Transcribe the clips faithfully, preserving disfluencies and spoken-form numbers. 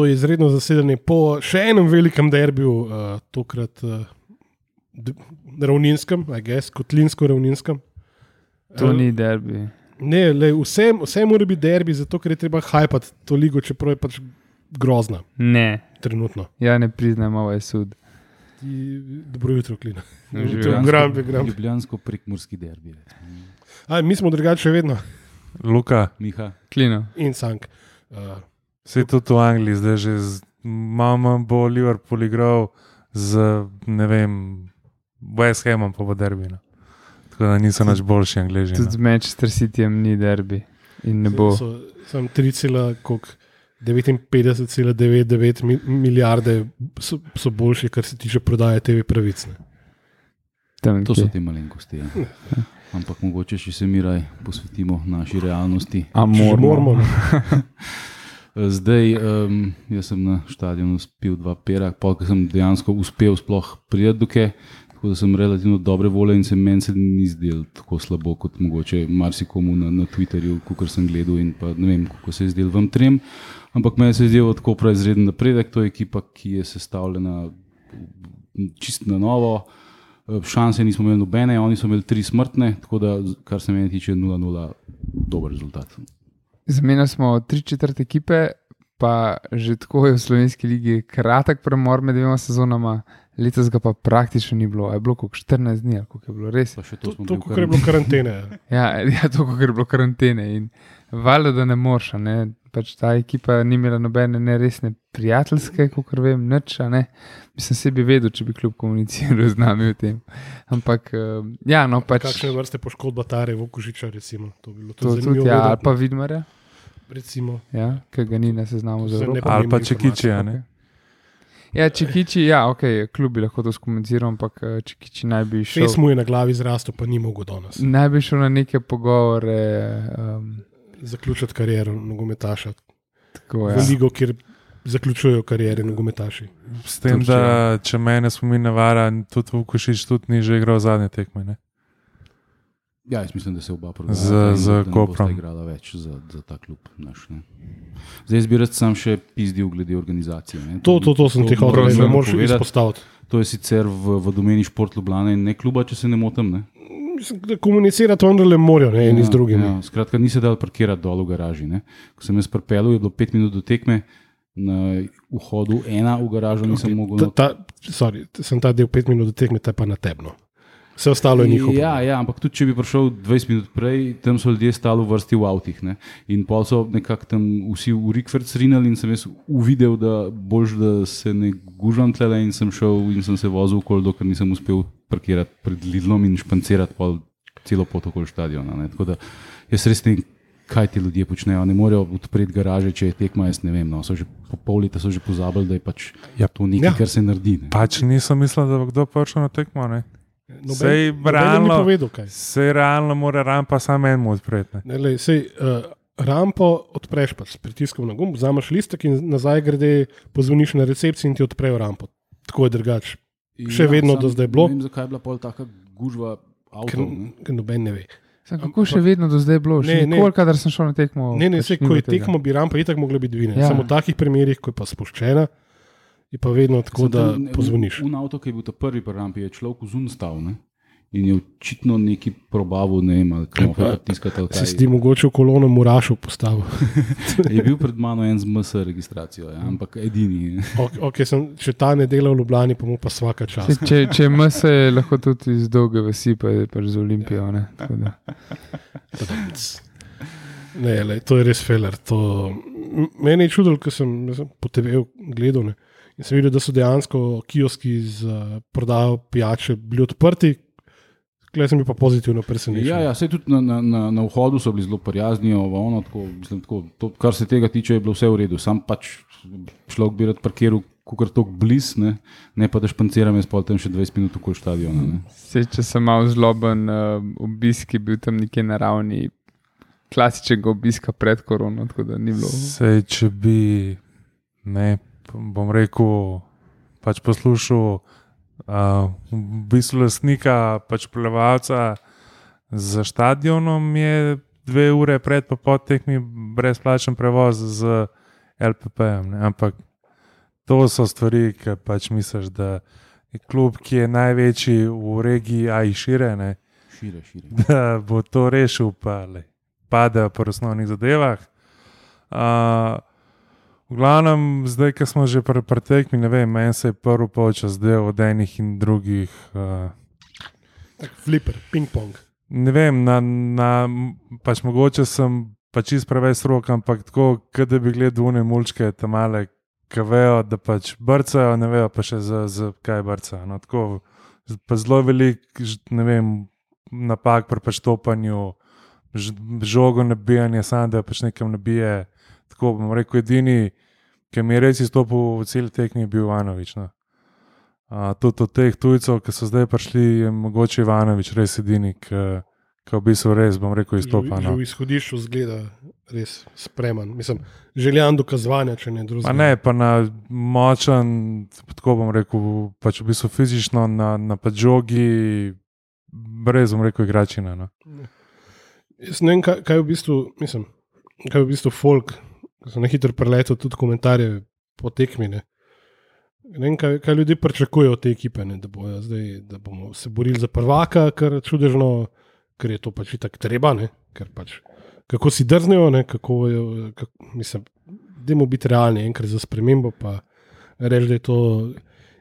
to je izredno zasedanje po še enem velikem derbiju, uh, tokrat uh, d- ravninskem, I guess, kotlinsko-ravninskem. To uh, ni derbi. Ne, le, vse, vse mora biti derbi, zato ker je treba hajpati to ligo, čeprav je pač grozna. Ne. Trenutno. Ja, ne priznam, ovo je sud. Dobro jutro, Klina. Ljubljansko-prekmurski derbi. A, mi smo drugače vedno. Luka. Miha. Klino. In Sank. Uh, Vse tudi v Angliji, zdaj že z, mama bo Liverpool igral z, ne vem, West Hamom pa bo derbi. No. Tako da niso nač boljši Angleži. Tudi z Manchester Cityjem ni derbi. In ne bo. So, sem tri cela devetinpetdeset cela devetdeset devet milijarde so, so boljši, kar se tiče prodaje te ve pravic. Tam, to so te malenkosti. Ja. Ampak mogoče še se mi raj posvetimo naši realnosti. A moramo. Zdaj, um, jaz sem na štadionu spil dva pera, polk sem dejansko uspel sploh prijeti dokaj, tako da sem relativno dobre volje in se meni se ni zdel tako slabo, kot mogoče marsikomu na, na Twitterju, kakor sem gledal in pa ne vem, kako se je zdel vam trem. Ampak meni se je zdel tako prav izreden napredek, to je ekipa, ki je sestavljena čist na novo. Šanse nismo imeli nobene, oni so imeli tri smrtne, tako da, kar se meni tiče nula nula, dober rezultat. Zamenjali smo tri četrt ekipe, pa že tako je v slovenski ligi kratek premor med dvema sezonama, letos ga pa praktično ni bilo, a je bilo koliko štirinajst dni, koliko je bilo res. To, to koliko je bilo karantene. ja, ja, to koliko je bilo karantene in valjda, da ne moreš, ne. Pač ta ekipa ni imela nobene neresne prijateljske, kakor vem, nič, ne. Mislim, se bi vedel, če bi klub komuniciral z nami o tem. Ampak, uh, ja, no pač... Kakšne vrste poškodba Tare Vokužiča, recimo? To bi bilo to to zanimivo. Tudi, ja, ali pa Vidmarja. Recimo. Ja, ki ga ni na seznamu za Evropo. Ali pa Čekičija, ne? Ja, Čekiči, ja, ok, klub bi lahko to skomuniciral, ampak Čekiči naj bi šel... Fes mu je na glavi zrastel, pa ni mogel danes. Naj bi šel na neke pogovore... Um, zaključiti kariero nogometaša. Tako, ja. V ligo, kjer zaključujejo kariere nogometaši. S tem, Turčija. Da če mene spomin ne vara, tudi Vukušić tudi ni že igral zadnje tekme, ne? Ja, jaz mislim, da se oba programa z, z Koprom igrala več za, za ta klub naš, ne. Zdaj bi rad sam še pizdil glede organizacije. Ne. To, to, to sem ti hotel, da moraš izpostaviti. To je sicer v, v domeni Šport Ljubljana in ne kluba, če se ne motim, ne. Komunicirati vendarle morajo, ne, eni ja, z drugimi. Ja, skratka, ni se dal parkirati dol v garaži. Ne. Ko sem jaz pripeljal, je bilo pet minut do tekme, na vhodu ena v garažo nisem okay. mogel... Ta, ta, sorry, sem ta del pet minut do tekme, ta pa na tebno. Vse ostalo je njihovo. Ja, ja, ampak tudi, če bi prišel dvajset minut prej, tam so ljudje stali v vrsti v avtih. Ne. In pol so nekako tam vsi v Rikverc rinali in sem jaz uvidel, da boljš, da se ne gužam tlele in sem šel in sem se vozil okoli, dokler nisem uspel parkirati pred Lidlom in špancirati pol celo pot okoli štadiona. Ne. Tako da jaz res ne, kaj ti ljudje počnejo. Ne morejo odpreti garaže, če je tekma, jaz ne vem. No. So že po pol leta so že pozabili, da je pač ja. to nekaj, ja. kar se naredi. Ne. Pač nisem mislil, da bo kdo prišel na tekmo, ne. Noben, sej realno, povedal, sej realno mora rampa samo enemu odpreti. Ne, lej, sej, uh, rampo odpreš pa s pritiskom na gumb, vzameš listek in nazaj grede, pozvoniš na recepciji in ti odprejo rampo. Tako je drugače. Še ja, vedno do zdaj bilo. Ne vem, zakaj je bila pol taka gužva avtov. Ker noben ne ve. Sam, kako še vedno do zdaj bilo? Še nikoli, kadar sem šel na tekmo. Ne, ne, sej, ko je tekmo, bi rampa itak mogla biti dvine. Ja. Samo v takih primerih, ko je pa spuščena, je pa vedno tako, da pozvoniš. Un avto, ki je bil ta prvi pri rampi, je človek vzun stal, ne? In je očitno neki probavil, ne vem, ali kaj tiskati. Si si ti mogoče v kolono Murašov postavil. Je bil pred mano en z M S registracijo, ja, ampak edini. Ok, okay sem, če ta ne dela v Ljubljani, pa mu pa svaka čas. Se, če, če M S je lahko tudi iz dolge vasi, pa je pač z Olimpijo, ne? Tako da. Ne, lej, to je res feler. To... Mene je čudilo, ko sem, sem po te ve gledal, ne? In sem videl, da so dejansko kioski z uh, prodajo pijače bili odprti. Klej sem bil pa pozitivno presenečen. Ja, ja, sej tudi na, na, na, na vhodu so bili zelo prijaznijo, ono, tako, mislim, tako, to, kar se tega tiče, je bilo vse v redu. Sam pač človek bi rad parkiral kakor tok bliz, ne, ne pa da španciram jaz pol tam še dvajset minut okoli štadiona. Ne. Sej, če sem malo zloben, uh, obisk je bil tam nekje na ravni klasičnega obiska pred korono, tako da ni bilo. Sej, če bi, ne, bom rekel, pač poslušal uh, v bistvu lastnika, pač plevalca za štadionom je dve ure pred pa pod tekmi brezplačen prevoz z L P P-jem, ne? Ampak to so stvari, ki pač misliš, da je klub, ki je največji v regiji, a i šire, ne, Šire, šire. da bo to rešil, pa le, padejo po osnovnih zadevah. Uh, v glavnem, zdaj, ko smo že pri pri tekmi, ne vem, meni se je prvi polčas zdel od enih in drugih. Uh, Tak fliper, ping-pong. ne vem, na, na, pač mogoče sem pač čist preveč strok, ampak tako, kot da bi gledal une mulčke, tam male, ki vejo, da pač brcajo, ne vejo pa še za, za kaj brcajo. No, tako, pa zelo velik, ne vem, napak pri preštopanju, žogo nabijanje, samo da pač nekam nabije. Tako bom rekel, edini, ki mi je res izstopil v cel tekmi, je bil Ivanovič. No. Uh, tudi od teh tujcev, ki so zdaj prišli, je mogoče Ivanovič res edini, ki v bistvu res, bom rekel, izstopa. Že No. v izhodišču zgleda res spreman. Mislim, željan dokazovanja, če ne Pa drugega. ne, pa na močen, tako bom rekel, pač v bistvu fizično, na, na pač žogi, brez, bom rekel, igračina. No. Jaz ne vem, kaj, kaj je v bistvu, mislim, kaj je v bistvu folk, ko sem na hitro preletel tudi komentarje po tekmi. Ne, ne vem, kaj, kaj ljudje pričakujejo od te ekipe, ne, da, bojo zdaj, da bomo se borili za prvaka, kar čudežno, ker je to pač itak treba, ne, ker pač kako si drznejo, ne, kako, je, kako mislim, dajmo biti realni enkrat za spremembo, pa reči, da je to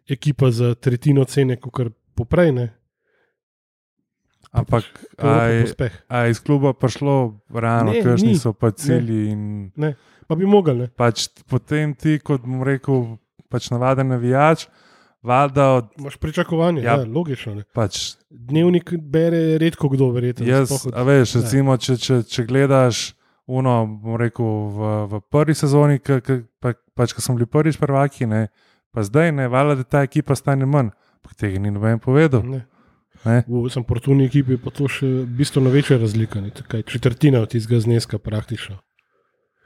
ekipa za tretjino cene, kot poprej, ne. Ampak To je a pa je, uspeh. a je iz kluba prišlo realno, Ne, kakšni ni. so pa cilji in Ne, pa bi mogli, ne. pač potem ti, kot bom rekel, pač navaden navijač, valjda od Imaš pričakovanje, ja. Ja. Ja, logično. Ne. pač Dnevnik bere redko kdo, verjetno. jaz, sploh od- a veš, ja. recimo, če, če, če gledaš uno, bom rekel, v, v prvi sezoni, ka, ka, pa, pač, ko smo bili prvič prvaki, ne, pa zdaj ne, valjda, da ta ekipa stane manj, pa tega ni noben povedal. Ne. Ne. V samportuni ekipi je pa to še bistveno večja razlika. Ne. Takaj, četrtina od tistega zneska praktično.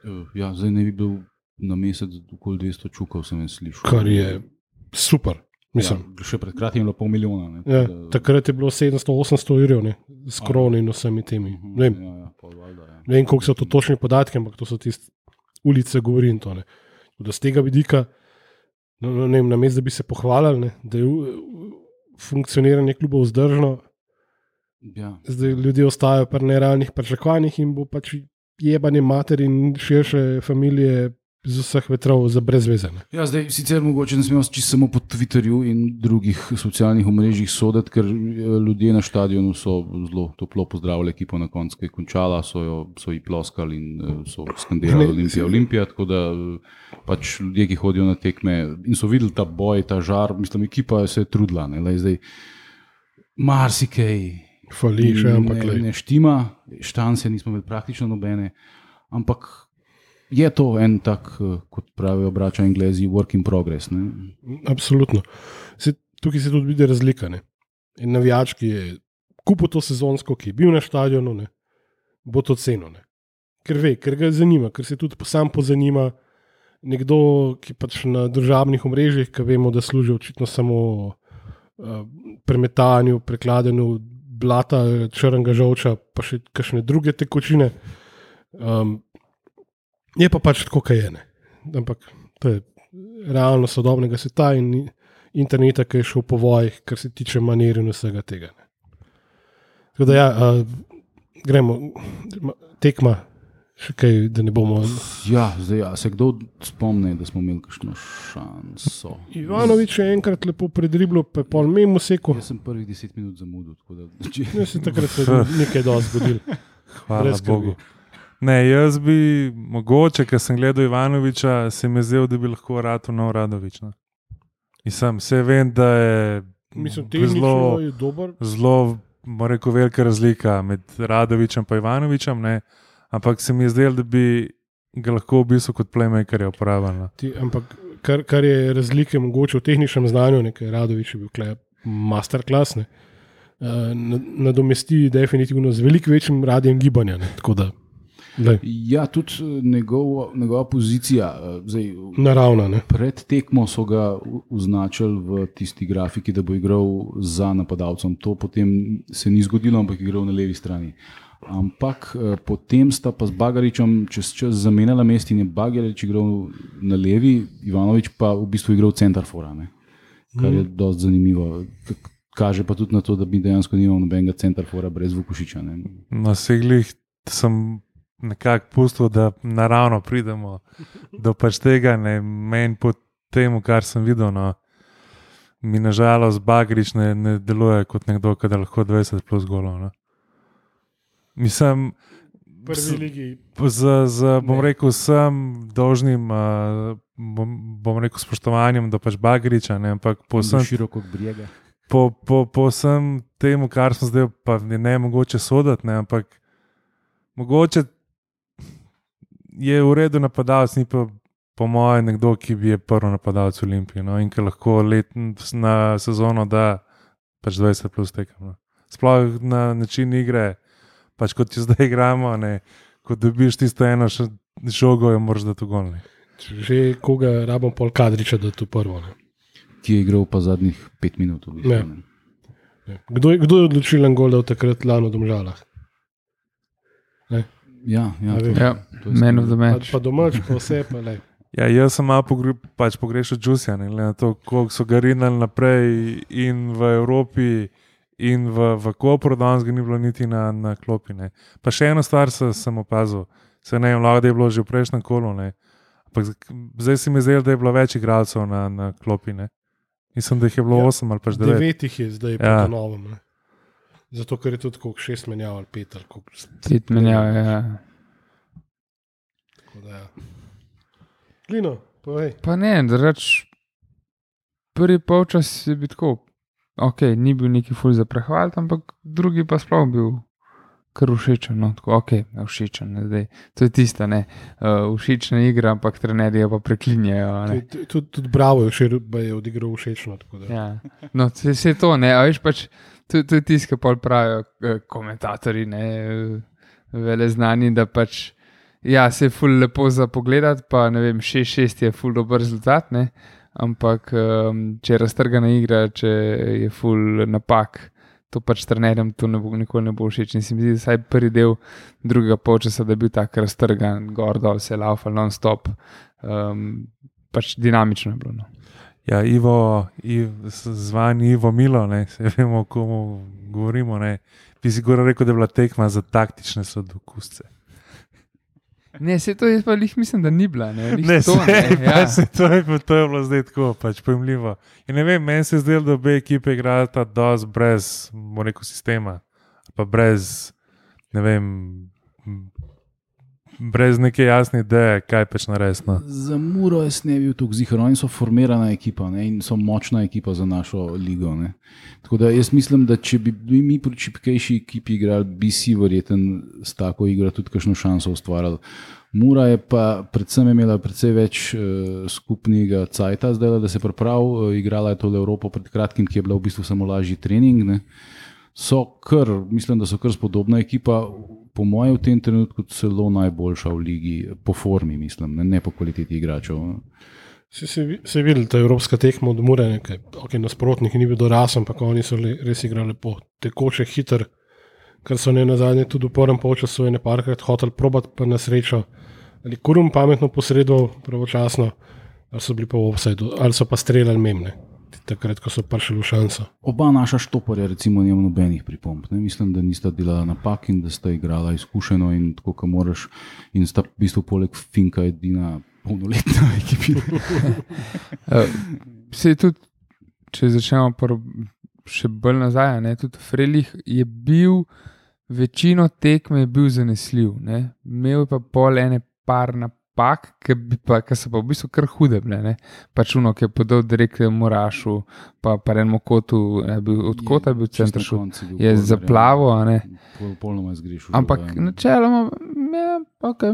Eh, Ja, zdaj ne bi bil na mesec okoli dvesto čukov, sem jaz slišal. Kar je super. Mislim, Ja, še pred kratkim je bilo pol milijona. Ne, ja, tako da- takrat je bilo sedemsto osemsto evrov, ne, s kroni in vsemi temi. Mhm, Ne vem, Ja, ja, pol valjda, ja. ne vem, koliko so to točni podatki, ampak to so tiste ulice, govori in to. Ne. Tako da z tega vidika, no, no, ne vem, namesto da bi se pohvalili, ne, da je uh, funkcioniranje kluba vzdržno, Ja. zdaj ljudje ostajajo pri nerealnih pričakovanjih in bo pač jebanje mater in širše familije z vseh vetrov za brezvezene. Ja, zdaj sicer mogoče ne smemo čisto samo po Twitterju in drugih socialnih omrežjih soditi, ker eh, ljudje na stadionu so zelo toplo pozdravili ekipo na koncu, ki je končala, so jo so ji ploskali in eh, so skandirali Ne, Olimpija, Olimpija, tako da eh, pač ljudje, ki hodijo na tekme in so videli ta boj, ta žar, mislim, ekipa se je trudila, ne, lej, zdaj marsikaj Fali še, ampak ne, glej. ne štima, štance nismo imeli praktično nobene, ampak je to en tak, eh, kot pravijo braća Anglezi, work in progress. Ne? Absolutno. Se, tukaj se tudi vidi razlika. Ne. En navijač, ki je kupil to sezonsko, ki je bil na stadionu, ne, bo to cenil. Ne. Ker ve, ker ga zanima, ker se tudi sam pozanima. Nekdo, ki pač na državnih omrežjih, ki vemo, da služi očitno samo uh, premetanju, prekladanju blata, črnega žolča, pa še kakšne druge tekočine. Um, je pa pač tako, kaj je. Ne. Ampak to je realno sodobnega sveta in interneta, ki je šel po vojih, kar se tiče manir in vsega tega. Ne. Tako da ja, uh, gremo, tekma, še kaj, da ne bomo. Ja, zdaj, ja, se kdo spomne, da smo imeli kakšno šanso? Ivanovič je enkrat lepo predriblo, pa je pol mimo seko. Jaz sem prvih deset minut zamudil. tako Da, če, Jaz sem takrat se nekaj dosti zgodil. Hvala Brez skrbi. Bogu. Ne, jaz bi mogoče, ker sem gledal Ivanoviča, se mi je zdel, da bi lahko Ratu nov Radovič. No. In sem, vse vem, da je Mislim, zelo, tehnično je dober. zelo, bom rekel, velika razlika med Radovičem in Ivanovičem, ne. Ampak se mi je zdel, da bi ga lahko v bistvu kot playmakerja uporabil. No. Ti, ampak kar, kar je razlike mogoče v tehničnem znanju, nekaj Radovič je bil kle masterclass, ne, uh, nadomesti definitivno z veliko večjim radijem gibanja. Ne, tako da, glej, ja, tudi eh, njegov, njegova pozicija. eh, Zdaj, naravna. Ne. pred tekmo so ga u- označili v tisti grafiki, da bo igral za napadalcem. To potem se ni zgodilo, ampak je igral na levi strani. Ampak uh, potem sta pa z Bagaričem čez čas zamenjala mest in je Bagarič igral na levi, Ivanovič pa v bistvu igral centarfora, ne? Kar je mm. dosti zanimivo. Kaže pa tudi na to, da bi dejansko nimal nobenega centarfora brez Vukušiča. Ne? Na seglih sem nekako pustil, da naravno pridemo do pač tega, ne meni po temu, kar sem videl, no, mi nažalost Bagarič ne, ne deluje kot nekdo, ki lahko dvajset plus golov. No. Mislim, prvi ligi. Z, z, bom ne. rekel, sem dolžnim, uh, bom, bom rekel, spoštovanjem do pač Bagariča, ne, ampak posem široko brega. Po, po, po vsem temu, kar smo zdaj, pa ne mogoče soditi, ne, ampak mogoče je v redu napadalec, ni pa po mojem nekdo, ki bi je prvi napadalec v Olimpiji, no, in ki lahko let na sezono da pač dvajset plus tekem. No. Sploh na način igre, pač kot jo zdaj igramo, ne, ko dobiš tisto eno žogo, jo moraš dati v gol. Že koga rabim pol Kadriča, da to prvo. Ne. Ki je igral pa zadnjih pet minut. V bistvu, ne. Ne. Kdo, je, kdo je odločilen gol, da v takrat lano v Domžalah? Ne? Ja, ja, to, ja to man of the match. Pa, pa domač, pa vse, pa le. Ja, jaz sem malo pogre, pač pogrešal Džusija, ne, na to, koliko so ga rinali naprej in v Evropi in v, v Kopru, danes ga ni bilo niti na, na klopi. Ne. Pa še eno stvar se, sem opazil, se ne vem, lahko da je bilo že v prejšnjem kolu, ne. Ampak zdaj si mi zdel, da je bilo več igralcev na, na klopi, ne. Mislim, da jih je bilo ja, osem ali pač devet. Devet jih je zdaj ja. po novem. Ne? Zato, ker je tudi koliko šest menjav ali pet ali koliko. Pet menjav, ja. Tako da, ja. Lino, povej. Pa ne, da reč, prvi polčas je bil tako, ok, ni bil neki ful za prehvaliti, ampak drugi pa sploh bil kar všečen, no, tako, ok, všečen, ne, zdaj, to je tista, ne, uh, všečna igra, ampak trenerji pa preklinjajo, ne. Tudi tud, tud Bravo je, je odigral všečno, tako da. Ja, no, vse to, ne, a veš pač, to, to je tisto, kar pravijo uh, komentatorji, ne, uh, vele znani, da pač, ja, se je ful lepo za pogledati, pa ne vem, šest šest je ful dober rezultat, ne, ampak um, če je raztrgana igra, če je ful napak, to pač trenerjem to ne bo, nikoli ne bo všeč. In se mi zdi, da saj prvi del drugega polčasa, da je bil tak raztrgan, gor dol, se laufal non-stop, um, pač dinamično je bilo. No. Ja, Ivo, Ivo zvan Ivo Milo, ne, se vemo, o komu govorimo, ne, bi si gore rekel, da je bila tekma za taktične sodokusce. Ne, se to jaz pa lih mislim, da ni bila. Ne, ne, to, se, ne, pa ja. se to, je, to je bilo zdaj tako, pač pojemljivo. In ne vem, meni se je zdelo, da obe ekipe igrata dosti brez, bomo rekel, sistema, pa brez, ne vem, brez neke jasne ideje, kaj pač naresno. Za Muro jaz ne bil tukaj zihar, oni so formirana ekipa, ne, in so močna ekipa za našo ligo. Ne. Tako da jaz mislim, da če bi mi pri čipkejši ekipi igrali, bi si verjeten s tako igro tudi kakšno šanso ustvarjali. Mura je pa predvsem imela precej več uh, skupnega cajta zdaj, da se prav uh, igrala je tole Evropo pred kratkim, ki je bila v bistvu samo lažji trening. Ne. So kar, mislim, da so kar spodobna ekipa, po mojem v tem trenutku celo najboljša v ligi, po formi mislim, ne, ne po kvaliteti igračev. Se, se, se je videl, ta evropska tekma od Mure, nekaj, ok, nasprotnik ni bil dorasel, ampak oni so le, res igrali po tekoče, hiter, kar so ne nazadnje tudi v prvem polčasu ene parkrat hotel probati, pa na srečo, ali Kurum pametno posredoval pravočasno, ali so bili pa v offsideu, ali so pa streljali memne. Takrat, ko so prišli v šanso. Oba naša štoparja recimo nima nobenih pripomb. Ne? Mislim, da nista delala napak in da sta igrala izkušeno in tako, ko moraš, in sta v bistvu poleg Finka edina polnoletna ekipina. Vse tudi, če začnemo prv, še bolj nazaj, ne? Tudi Frelih je bil, večino tekme je bil zanesljiv. Ne? Imel je pa pol ene par napak, ki so pa v bistvu kar hude bile, ne? Pač uno, ki je podal direkt Morašu, pa pa enemu kotu, ne, bil, od kota je bil center šut, je zaplavo, a ne. Pol, polnoma zgrešil. Ampak žal, načeloma, ja, ok,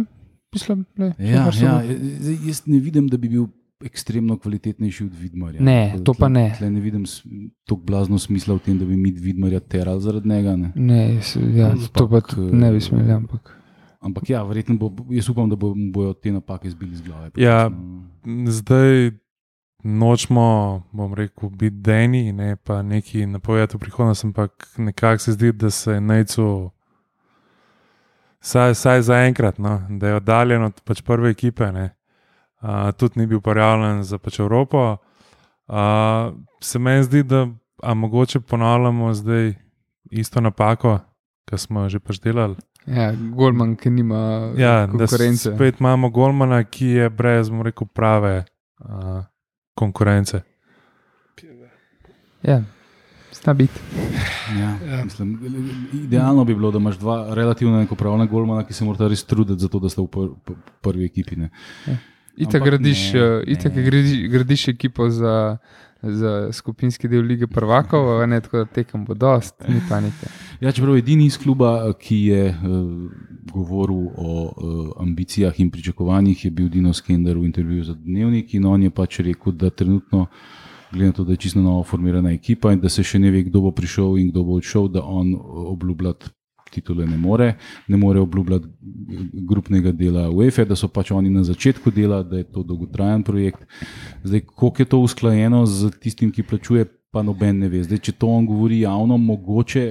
mislim, ne. Ja, ja, jaz ne vidim, da bi bil ekstremno kvalitetnejši od Vidmarja. Ne, to pa ne. Tle ne vidim toliko blazno smisla v tem, da bi mi Vidmarja terali zaradi njega, ne. Ne, ja, to pa ne bi smeli, ampak. Ampak ja, verjetno bo, jaz upam, da bo, bojo te napake zbili z glave. Ja, zdaj nočemo, bom rekel, biti deni, ne pa neki napovedati v prihodnost, ampak nekako se zdi, da se Nejcu saj, saj za enkrat, no, da je oddaljen od pač prve ekipe, ne. Uh, tudi ni bil prijavljen za pač Evropo. Uh, se meni zdi, da a mogoče ponavljamo zdaj isto napako, ki smo jo že pač delali. Ja, golman, ki nima Ja, da konkurence. spet imamo golmana, ki je brez, bom rekel, prave uh, konkurence. Ja, sta biti. Ja, Ja. mislim, idealno bi bilo, da imaš dva relativno enakopravna golmana, ki se morata res truditi za to, da sta v pr pr prvi ekipi. Ne. Itak Ampak gradiš, ne, eh, itak ne. gradiš, gradiš ekipo za, za skupinski del Lige prvakov, a ne, tako da tekem bo dost, ni panike. Ja, čeprav edini iz kluba, ki je uh, govoril o uh, ambicijah in pričakovanjih, je bil Dino Skender v intervjuju za Dnevnik in on je pač rekel, da trenutno, glede na to, da je čisto novo formirana ekipa in da se še ne ve, kdo bo prišel in kdo bo odšel, da on obljubljati titule ne more, ne more obljubljati grupnega dela UEFA, da so pač oni na začetku dela, da je to dolgotrajen projekt. Zdaj, koliko je to usklajeno z tistim, ki plačuje, pa noben ne ve. Zdaj, če to on govori javno, mogoče,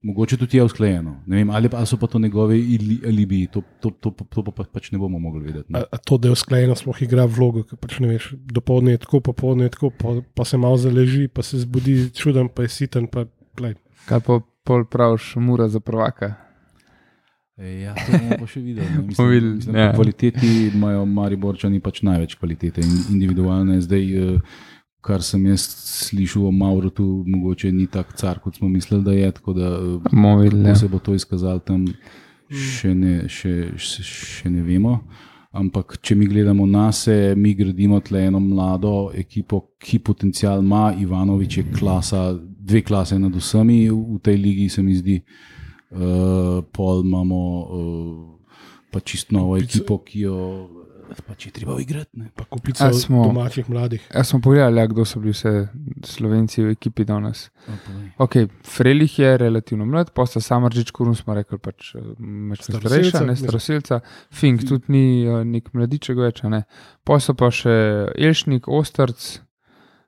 mogoče tudi je usklajeno. Ne vem, ali, ali so pa to njegove alibi, to, to, to, to, to pa pač ne bomo mogli vedeti. Ne? A, a to, da je usklajeno, sploh igra vlogo, ker pač ne veš, dopoldne je tako, popoldne je tako, pa, pa se malo zaleži, pa se zbudi čuden, pa je siten, pa plej. Kaj pa pol praviš, Mura za prvaka? E, ja, to bomo pa še videli. Ne? Bomo videli, Mislim, mislim, ja. po kvaliteti imajo Mariborčani pač največ kvalitete in individualne. Zdaj, eh, kar sem jaz slišal o Maurotu, mogoče ni tak car, kot smo mislili, da je, tako da eh, Bomo videli, kako ja. se bo to izkazalo tam, še ne, še, še, še ne vemo. Ampak, če mi gledamo nase, mi gradimo tle eno mlado ekipo, ki potencial ima. Ivanovič je klasa, dve klase nad vsemi v tej ligi, se mi zdi. Uh, pol imamo uh, pa čisto novo ekipo, ki jo pač je treba igrati. Ne? Pa kupica A smo- domačih mladih. Jaz smo pogledali, ja, kdo so bili vse Slovenci v ekipi danes. A, povej. Ok, Frelih je relativno mlad, posta Samardžič, Kurun smo rekli, pač meč Staroselca, starejša, ne mislim. staroselca, Fink tudi ni eh, nek mladiček več, a ne. Posta pa še Elšnik, Ostrc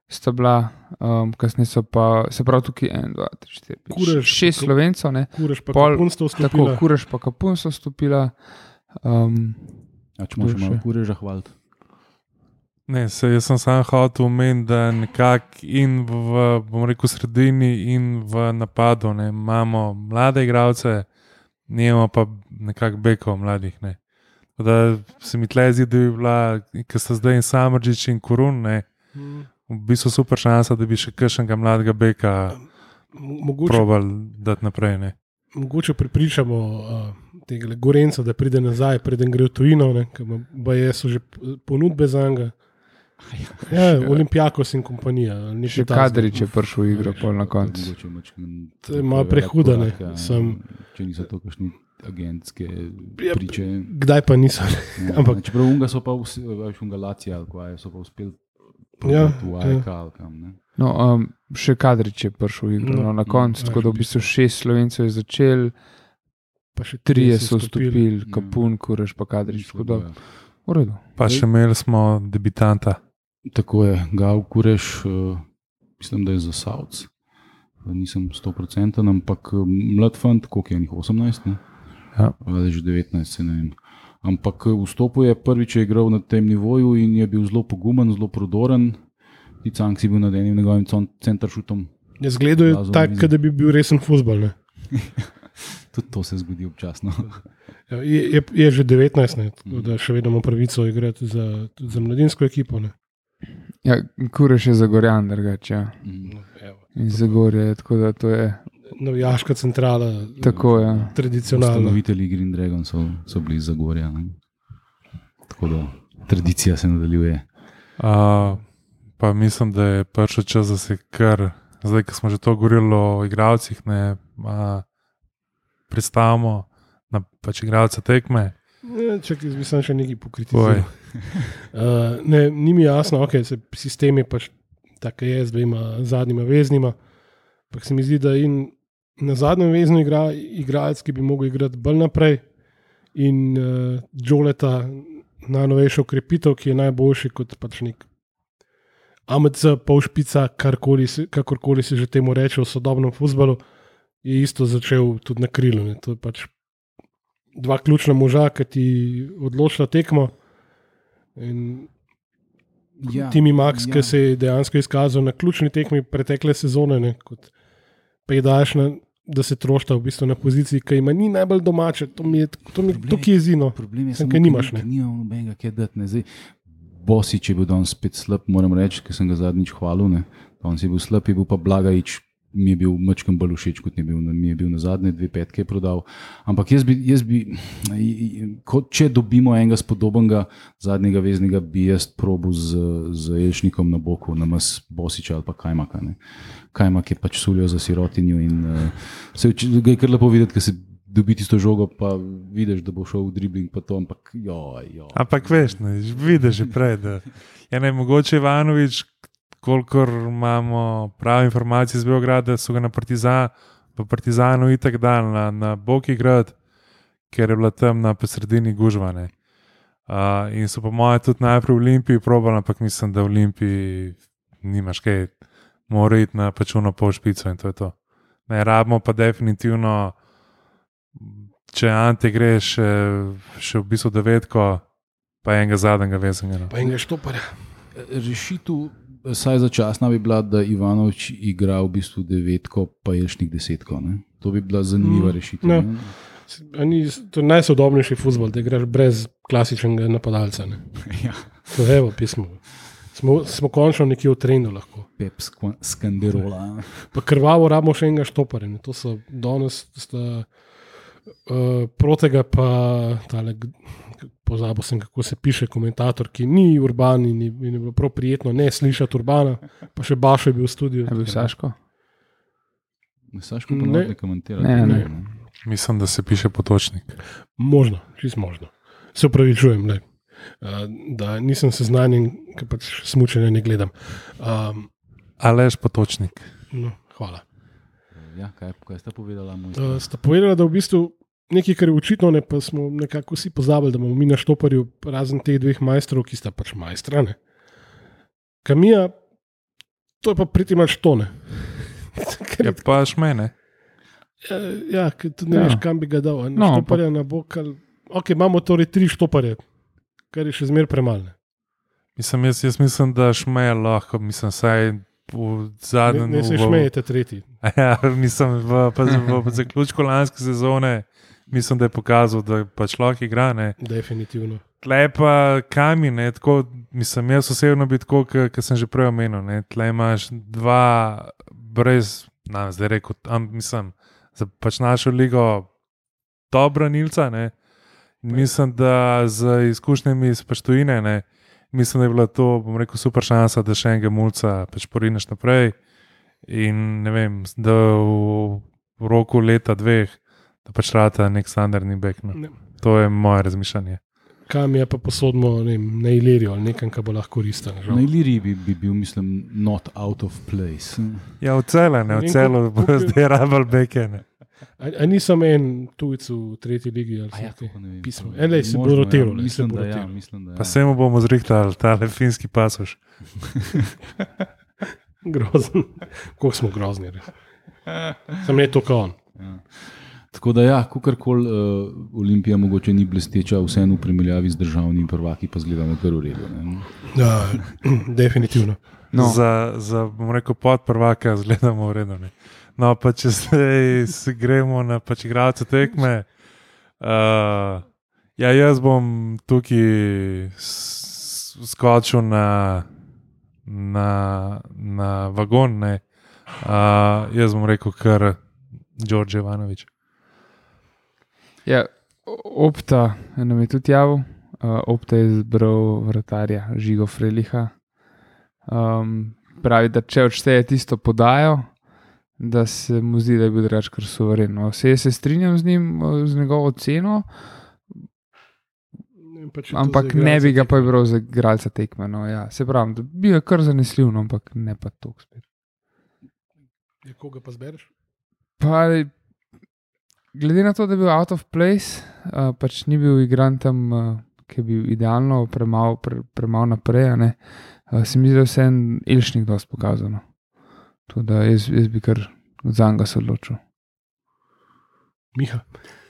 sta bila, um, kasneje so pa, se pravi tukaj en, dva, tri, štiri, pet, Kurež, šest kako- Slovencev, ne. Kureš pa Pol- kapunstvo Tako, vstopila. Kureš pa Kapun so stopila. Um, A če imaš Kdo malo še? kureža hvaliti. Ne, se, jaz sem samo hotel omeniti, da nekako in v, bom rekel, sredini in v napadu ne, imamo mlade igralce, nimamo pa nekako bekov mladih. Ne. Tako da se mi tle zdi, da bi bila, ker sta zdaj in Samardžič in Kurun, ne, Mm. v bistvu super šansa, da bi še kakšnega mladega beka Mo- Mogoče, probal dati naprej. Ne. mogoče prepričamo uh, tega Gorenca, da pride nazaj, preden gre v tujino, ne, ker ima- baje so že p- ponudbe za njega. Ja, Olimpijakos in kompanija. ali nekaj še takega. Kadrič je prišel v igro pol na koncu. Mogoče mačkeno To je malo prevelik prehuda, ne, korak, ja. sem- Če niso to kakšni agentske Ja, priče. Kdaj pa niso? Ja, ampak- čeprav unga so pa vsi, veš, unga Lacija ali kaj, so pa uspeli Ja, probati v A E K ali kam. Ne. No, um, še Kadrič je prišel v igro No, no, na mm, koncu, ja, tako da v v bistvu šest Slovencev je začel, Pa še trije trije so vstopili, Mm. Kapun, Kureš pa Kadrič. Tako da, Ja. v redu. Pa še imeli smo debitanta. Tako je, Gav Kureš, uh, mislim, da je za Savc. Nisem sto procenten, ampak eh, mlad fant, koliko je njih osemnajst, ne? Ja. Ali že devetnajst, se ne vem. Ampak eh, vstopil je prvič, je igral na tem nivoju in je bil zelo pogumen, zelo prodoren. Ti Cank si bil nad enim njegovim centršutom. Je zgledal Lazov tako, na mizi. da bi bil resen fuzbol. Ne? Tudi to se zgodi občasno. Ja, Je, je, je že devetnajst, ne, tako Mhm. da še vedno ima pravico igrati za, tudi za mladinsko ekipo. Ne. Ja, Kureš je Zagorjan, drugače. Ja. Mm. In Zagorje, tako da to je Navijaška centrala, tako. Ja. tradicionalna. Ustanovitelji Green Dragon so, so bili iz Zagorja. Ne? Tako da tradicija se nadaljuje. Uh, pa mislim, da je prišel čas, da se kar, zdaj, ko smo že to govorili o igralcih, ne uh, predstavimo na pač igralce tekme. Ja, čakaj, bi sem še nekaj Oj. pokritiziral. Uh, ne, ni mi jasno, okay, se sistem je pač tako je z dvema zadnjima veznima. Ampak se mi zdi, da in na zadnjem veznu igra igralec, ki bi mogel igrati bolj naprej, in uh, Joleta, najnovejša ukrepitev, ki je najboljši kot pač nek A M C, polšpica, karkoli se- kakorkoli se že temu reče v sodobnem futbalu, je isto začel tudi na krilu. Ne. To je pač dva ključna moža, ki ti odločila tekmo. In Ja, Timi Max, ja. ki se je dejansko izkazal na ključni tekmi pretekle sezone, ne, kot pa je daš na, da se trošta v bistvu na poziciji, ki ima ni najbolj domače, to mi je to, mi, to ki je zino. Problem je Sem, samo, ker nimaš, ker ne. nimam nobenega, kaj dati. Ne. Zdaj, Bosič je bil danes spet slab, moram reči, ker sem ga zadnjič hvalil. Ne. Danes je bil slab, je bil pa Blagajč, mi je bil mačkam bolj všeč, kot je bil, mi je bil na zadnje dve petke prodal. Ampak jaz bi, jaz bi kot če dobimo enega spodobenega zadnjega veznega, bi jaz probil z, z Elšnikom na boku, namas Bosiča ali pa Kajmaka. Ne. Kajmak je pač suljo za sirotinjo in uh, se ga je kar lepo videti, ker se dobi tisto žogo, pa vidiš, da bo šel v dribling, pa to, ampak joj, joj. Ampak veš, ne, vidiš že prej, da je ne mogoče Ivanovič, kolikor imamo prave informacije iz Beograda, so ga na Partizan, v Partizanu itak dal na, na Boki grad, ker je bila tam na sredini gužvane. Uh, in so po moje tudi najprej v Olimpiji probali, ampak mislim, da v Olimpiji nimaš kaj, mora iti na pačuno pol špico in to je to. Ne, rabimo pa definitivno, če Ante gre še, še v bistvu devetko, pa enega zadnjega vezanga. Pa enega štoparja. Rešitev, saj začasna bi bila, da Ivanovič igra v bistvu devetko, pa Elšnik desetko. Ne? To bi bila zanimiva Mm, rešitev. no. Ne? Ni, to je najsodobnejši fuzbol, da igraš brez klasičnega napadalca. Ne. Ja. To je evo pismo. Smo, smo končno nekje v trendu lahko. Pep skva- Skanderola. Pa krvavo rabimo še enega štoparja. Ne. To so danes sta, uh, protega pa tale, pozabil sem, kako se piše komentator, ki ni urban in ni, in je bilo prav prijetno ne slišati urbana, pa še Bašo je bil v studiu. Je bil Saško? Saško pa Ne. ne komentira. Ne, ne. Mislim, da se piše Potočnik. Možno, čist možno. Se upravičujem, ne. Uh, da nisem seznanjen, ker pač smučanja ne gledam. Um, Aleš Potočnik. no, hvala. Ja, kaj, kaj sta povedala? Moj Uh, sta povedala, da v bistvu nekaj, kar je očitno, ne, pa smo nekako vsi pozabili, da imamo mi na štoparju razen teh dveh majstrov, ki sta pač majstrane. Kamija, to je pa priti mač tone. Je pa šmene. Ja, ker tudi ne Ja. veš, kam bi ga dal. a Na No, štoparja na bok. Ali... Ok, imamo torej tri štoparje, kar je še zmer premalne. Mislim, jaz, jaz mislim, da šmeje lahko, mislim, saj v Ne, zadnjem... ne se v- šmejete tretji. Ja, mislim, v, pa z- v, v zaključku lanske sezone mislim, da je pokazal, da pač lahko igra. Ne. Definitivno. Tle pa kami, ne, tako, mislim, jaz osebno bi tako, kot sem že prej omenil. Ne, tle imaš dva brez, nam zdaj rekel, am, mislim, za pač našo ligo dobra nilca. Ne. Mislim, da z izkušnjami iz Paštojine, ne, mislim, da je bila to, bom rekel, super šansa, da še enega mulca pač porineš naprej. In ne vem, da v, v roku leta, dveh, da pač rata nek standardni bek. No. Ne. To je moje razmišljanje. Kam je pa posodimo ne vem, na Ilirijo ali nekam, kar bo lahko koristen. Na Iliriji bi, bi bil, mislim, not out of place. Ja, v celo, ne, v Ne vem, celo, koliko- bo koliko- zdaj rabal beke. Ne. A, a nisem en tujec v tretji ligi ali A ja, kaj? kako ne vem. Pismo. To- Ene, se bo možno, rotiral, ja, ne, se mislim, bo da ja, rotiral. mislim, da ja. Pa se mu bomo zrihtali, tale finski pasoš. Grozen. Kako smo grozni. Res. Sem ne to kao on. Ja. Tako da, ja, kakorkoli uh, Olimpija mogoče ni blesteča, vseeno v primerjavi z državnimi prvaki, pa zgledamo kar v redu. Ne? Ja, definitivno. No. Za, za, bom rekel, pod prvaka zgledamo vredno. No, pa če zdaj se gremo na pač igralce tekme. Uh, ja, jaz bom tukaj s- skočil na, na, na vagon. Ne. Uh, jaz bom rekel, kar Đorđe Ivanović. Ja, Opta nam je tudi javil. Uh, Opta je izbral vratarja Žigo Freliha. Um, pravi, da če odšteje tisto podajo, da se mu zdi, da je bil drugače kar suveren. No, vse se strinjam z njim, z njegovo ceno, Ne, pa če to ampak za ne bi igralca ga pa bral za igralca tekme. No, ja. Se pravi, da bi ga kar zanesljiv, no, ampak ne pa toliko spet. tekme, koga pa zbereš? Pa, glede na to, da je bil out of place, uh, pač ni bil igran tam, uh, ki je bil idealno premal, pre, premal naprej, a ne, uh, se mi zdi, da je vse en Elšnik dosti pokazano. To, da jaz, jaz bi kar za njega se odločil. Miha.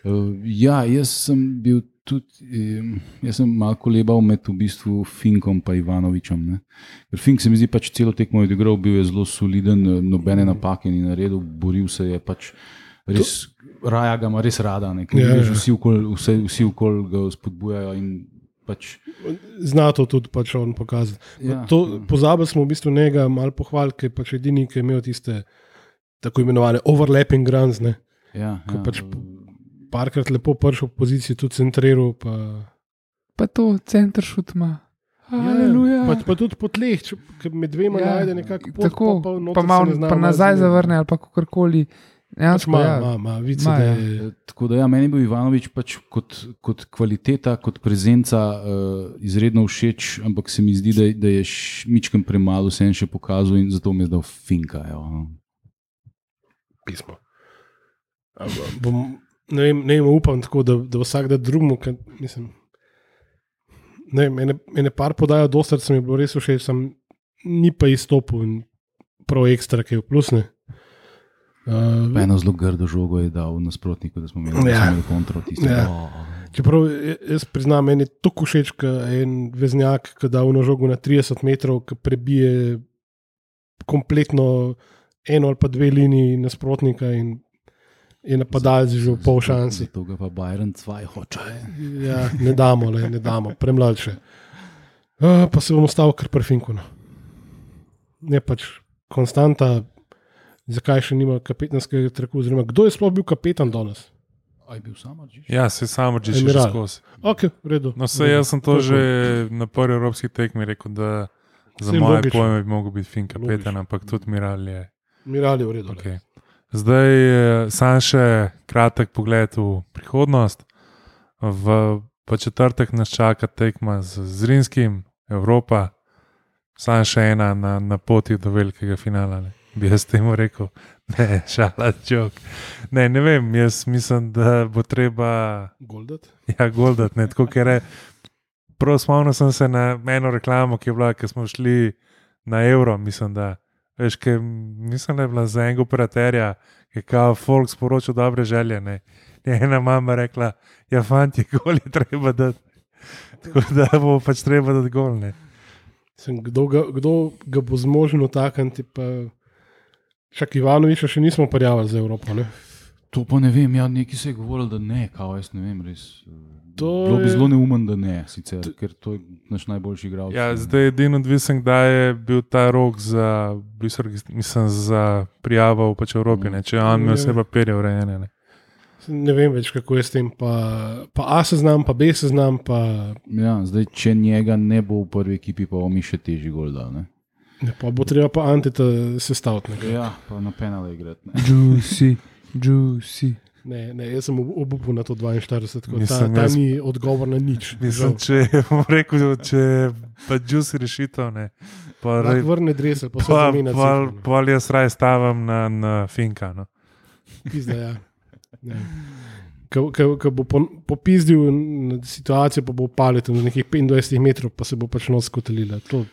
Uh, ja, jaz sem bil tudi, um, jaz sem malo kolebal med v bistvu Finkom pa Ivanovičem. Ne? Ker Fink se mi zdi pač celo tekmo odigral, bil je zelo soliden, nobene napake ni naredil, boril se je pač res, to... raja ga ima res rada, ne? Ker ja, vsi okoli vsi, vsi okol ga spodbujajo in pač... Zna to tudi pač on pokazati. Ja, to, ja. Pozabili smo v bistvu njega malo pohvaliti, ker je pač edini, ki je imel tiste tako imenovane overlapping runs, ne? Ja, ja. Pač parkrat lepo prišel v poziciji, tudi centriral. Pa, pa to center šut ima. Ja, pa, pa tudi po tleh, če med dvema ja, najde nekako pot, tako, pa, pa, pa, mal, pa nazaj zavrne ali pa kakorkoli. Pač ma, ja. ma, ma, vice, ma, ja. je... Tako da ja, meni je bil Ivanovič pač kot, kot kvaliteta, kot prezenca uh, izredno všeč, ampak se mi zdi, da, da je mičkem premalo vse še pokazal in zato mi je dal Finka. Jo. Pismo. Bom, ne, vem, ne vem, upam tako, da, da vsak da drugmu, kad, mislim, ne vem, ene, ene par podajo dostar, se mi je bilo res všeč, sem ni pa izstopil in prav ekstra, ki je v plusne. Uh, eno zelo grdo žogo je dal nasprotniku, da smo imeli, ja. imeli kontro tisto. Ja. Oh. Čeprav jaz priznam, meni je tako všeč, ka en veznjak, ki da ono žogo na trideset metrov, ki prebije kompletno eno ali pa dve liniji nasprotnika in je napadalec že v pol šansi. Zato ga pa Bayern dva hoče. Ja, ne damo, le, ne damo, premlad še. Uh, pa se bom ostal kar pri Finku. Ne pač konstanta. Zakaj še nima kapetanskega traku? Oziroma, kdo je sploh bil kapetan danes? A je bil Samardžić? Ja, se Samardžić še skozi. Ok, v redu. No, se jaz sem to, to že na prvi evropski tekmi rekel, da za Sim, moje logično. Pojme bi mogel biti Fink kapetan, ampak tudi Miral je. Miral je v redu. Okay. Zdaj sam še kratek pogled v prihodnost. V pa četrtek nas čaka tekma z Zrinskim, Evropa. Sam še ena na, na poti do velikega finala. Ne. Bi jaz temu rekel, ne, šala, jok. Ne, ne vem, jaz mislim, da bo treba... Goldat? Ja, goldat, ne, tako ker je... Prav spomnil sem se na eno reklamo, ki je bila, ki smo šli na Euro, mislim, da... Veš, ki mislim, da je bila za enega operaterja, ki je kao folk sporočil dobre želje, ne. Je ena mama rekla, ja, fanti, gol je treba dati. Tako da bo pač treba dati gol, ne. Sem, kdo, ga, kdo ga bo zmožen utakniti, pa... Čak Ivanoviča še nismo prijavili za Evropo, ne? To pa ne vem, ja, neki se je govoril, da ne, kao jaz ne vem, res. To Bilo bi je... zelo neumen, da ne, sicer, to... ker to je naš najboljši igralec. Ja, zdaj edino odvisen, da je bil ta rok za, mislim, za prijavo v pač Evropi, ne, če on imel vse papirje urejene, ne. Ne vem več, kako je s tem, pa, pa A se znam, pa B se znam, pa... Ja, zdaj, če njega ne bo v prvi ekipi, pa bo mi še težji gol dal, ne. Ne, pa bo treba pa Anteta sestaviti. Ja, pa na penale igrati. Juicy, juicy. Ne, ne, jaz sem obupil na to dvainštirideset, ta, ta jaz... ni odgovor na nič. Mislim, če bom rekel, če pa juicy rešitev, ne. Pa rej... vrne dresel, pa, pa se zamenja. Pa ali jaz raj stavim na, na Finka, no. Pizda, ja. Ko bo popizdil situacijo, pa bo palet na nekih petindvajset metrov, pa se bo pač nos skotelila. To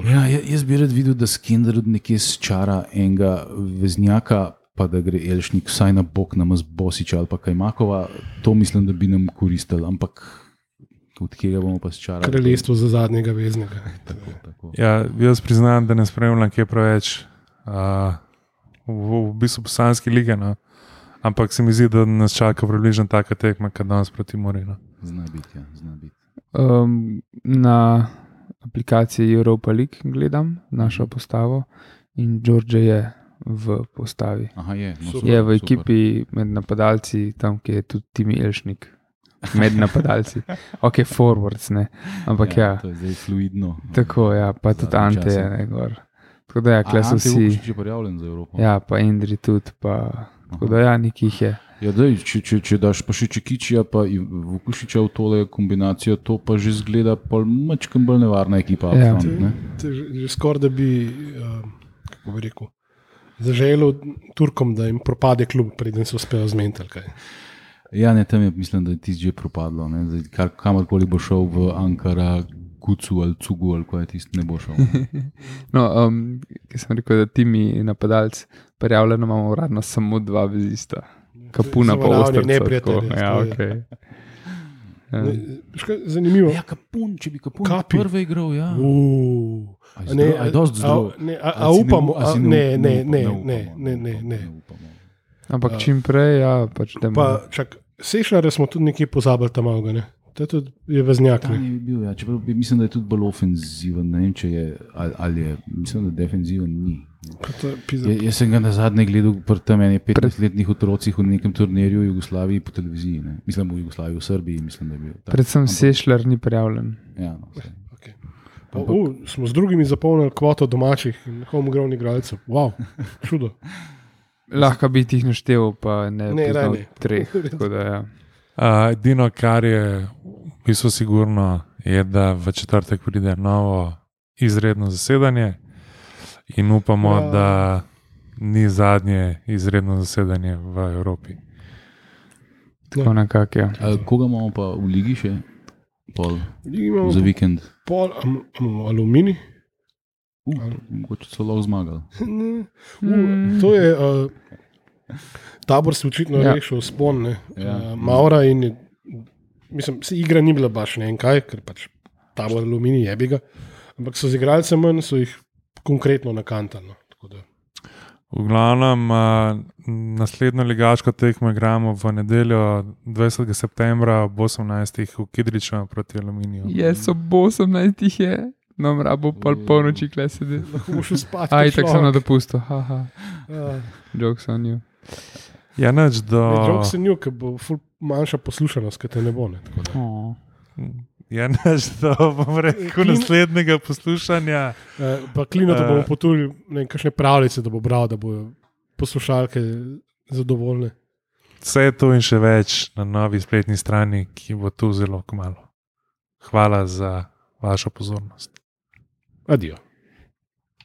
Ja, jaz bi rad videl, da Skenderud nekje sčara enega veznjaka, pa da gre Elšnik vsaj na bok namaz Bosiča ali pa Kajmakova. To mislim, da bi nam koristil, ampak od kjega bomo pa sčarali? Kraljestvo za zadnjega veznega. Tako, tako. Ja, jaz priznam, da ne spremljam kje preveč uh, v, v bistvu Bosanski lige, no. Ampak se mi zdi, da nas čaka približno taka tekma, kad danes proti Morinu. Zna biti, ja, zna biti. Um, na aplikaciji Europa League gledam našo postavo in Đorđe je v postavi. Aha, je, no, super, je v ekipi super. Med napadalci, tam, ki je tudi Timi Elšnik. Med napadalci. Ok, forwards, ne. Ampak ja. ja. To je zdaj fluidno. Tako, ja, pa tudi Ante je negor. Tako da ja, kle so vsi. Ante je prijavljen za Evropo. Ja, pa Indri tudi, pa tako da ja, nekih je. Ja, daj, če, če, če daš pa še Čekičija pa Vukušiča v tole kombinacijo, to pa že zgleda pol mačkem bolj nevarna ekipa. Ja. Front, ne? Te, te, že skoraj da bi, uh, kako bi rekel, zaželel Turkom, da jim propade klub, preden se uspejo zmeniti. Kaj. Ja, ne, tam je, mislim, da je tisti že propadlo. Ne? Zdaj, kar, kamorkoli bo šel v Ankara, Kucu ali Cugu ali kaj tisti ne bo šel. No, um, ki sem rekel, da Timi napadalci prijavljeno imamo uradno samo dva vezista. Kapuna pa Zavaranje ostrca. neprijateljev, Ja, to je. okay. Ja. Ne, veš kaj, zanimivo. Ja, Kapun, če bi Kapun Kapi. prvi igral, ja. Uh, A je a ne, zdrav- a je dosti zdrav? a- ne, a, A a si ne upamo, u- a a, si ne, up- ne, upamo, ne, upamo, ne, ne, ne, ne. upamo. Ampak čim prej, ja, pač da Pa čak, Sešljarja smo tudi nekje pozabili tam malo, ne? To je tudi je veznjak, Ta ne? je bil, ja. Čeprav bi- mislim, da je tudi bolj ofenziven, ne vem, če je, ali, ali je, mislim, da defenziven ni. Pa to je pizda. Ja, jaz sem ga na zadnje gledal pri tam enih petnajstletnih otrocih v nekem turnirju v Jugoslaviji po televiziji, ne. Mislim v Jugoslaviji, v Srbiji, mislim, da je bil. Tak. predvsem Ampak- Sešljar ni prijavljen. Ja, no, saj. Okay. Pa, uh, smo z drugimi zapolnili kvoto domačih in homegrown igralcev. Wow, čudo. Lahko bi jih naštel, pa ne, Ne, ne daj, poznal ne. treh. Tako da, ja. Uh, edino, kar je v bistvu sigurno, je, da v četrtek pride novo izredno zasedanje in upamo, Ja. ja. da ni zadnje izredno zasedanje v Evropi. Tako nekako, ja. A, koga imamo pa v ligi še? Pol, Imamo za vikend. pol am, am, aluminij. Uh, mogoče so lahko zmagali. Uh, to je uh, tabor se očitno Ja. ja. rešil spon, ne. Ja. Uh, Maura in je, mislim, se igra ni bila baš ne vem kaj, ker pač tabor aluminij je bi ga, ampak so z igralcem manj, so jih konkretno nakantali. No. Tako da, V glavnem, uh, naslednjo ligaško tekmo igramo v nedeljo dvajsetega septembra ob osemnajstih v Kidriču proti Aluminiju. Jaz ob osemnajstih je, no mrabo pol polnoči kle sedi. lahko boš šel spat. Aj, kot tako sem na človek. dopustu, haha, Ja. jokes on you. Ja, nič do. Ne, Jok se nju, ker bo ful manjša poslušanost, ker te ne bo. Ne, tako da. Oh. Ja, nič do, bom rekel, Klin- naslednjega poslušanja. Eh, pa Klino to Eh. bomo potulili, ne vem, kakšne pravljice, da bo bral, da bojo poslušalke zadovoljne. Vse to in še več na novi spletni strani, ki bo tu zelo kmalu. Hvala za vašo pozornost. Adijo.